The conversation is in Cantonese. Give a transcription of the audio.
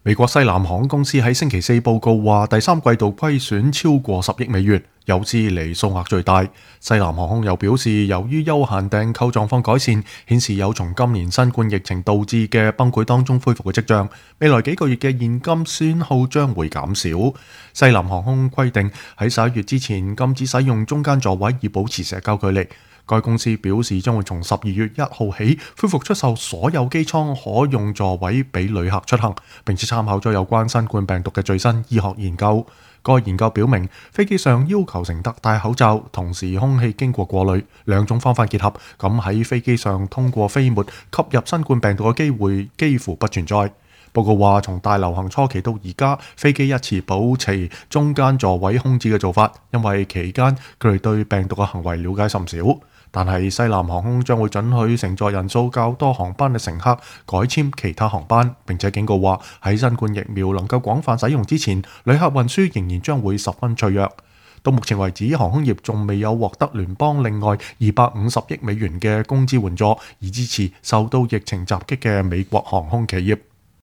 美國西南航空公司喺星期四報告話，第三季度虧損超過10億美元，有史以嚟數額最大。西南航空又表示，由於休閒訂購狀況改善，顯示有從今年新冠疫情導致嘅崩潰當中恢復嘅跡象，未來幾個月嘅現金損耗將會減少。西南航空規定喺11月之前禁止使用中間座位以保持社交距離。該公司表示將會從12月1號起恢復出售所有機艙可用座位俾旅客出行，並且參考咗有關新冠病毒嘅最新醫學研究。該研究表明，飛機上要求乘客戴口罩，同時空氣經過過濾，兩種方法結合，咁喺飛機上通過飛沫吸入新冠病毒嘅機會幾乎不存在。報告話，從大流行初期到而家，飛機一直保持中間座位空置嘅做法，因為期間佢哋對病毒嘅行為了解甚少。但係西南航空將會准許乘坐人數較多航班嘅乘客改簽其他航班，並且警告話喺新冠疫苗能夠廣泛使用之前，旅客運輸仍然將會十分脆弱。到目前為止，航空業仲未有獲得聯邦另外250億美元嘅工資援助，以支持受到疫情襲擊嘅美國航空企業。